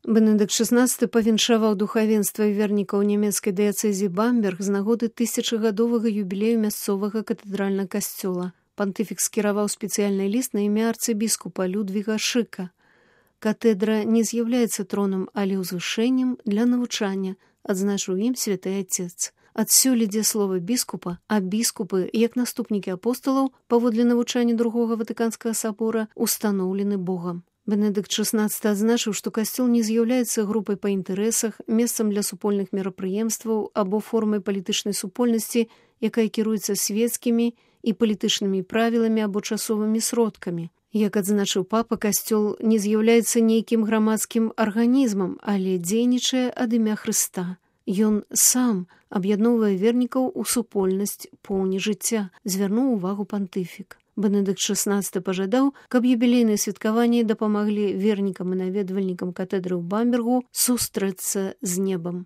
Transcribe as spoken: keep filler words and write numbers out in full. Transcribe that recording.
Бенедыкт шаснаццаты павіншаваў духавенства і вернікаў нямецкай дыяцэзіі Бамберг з нагоды тысячагадовага юбілею мясцовага катэдральнага касцёла. Пантыфік скіраваў спецыяльны ліст на імя арцыбіскупа Людвіга Шыка. Катедра не з'яўляецца тронам, але ўзвышэннем для навучання, адзначыў ім святы Отец. Адсюль ідзе слова біскупа, а біскупы, як наступнікі апосталаў, паводле навучання другога Ватыканскага сабора, устаноўлены Богам. Бенедыкт шаснаццаты адзначыў, што касцёл не з'яўляецца групай па інтарэсах, месцам для супольных мерапрыемстваў або формай палітычнай супольнасці, якая кіруецца свецкімі і палітычнымі правіламі або часовымі сродкамі. Як адзначыў папа, касцёл не з'яўляецца нейкім грамадскім арганізмам, але дзейнічае ад імя Хрыста. Ён сам аб'ядноўвае вернікаў у супольнасць поўні жыцця, звярнуў увагу пантыфік. Бенедыкт шаснаццаты пажадаў, каб юбілейныя святкаванні дапамаглі вернікам і наведвальнікам катедры ў Бамбергу сустрэцца з небам.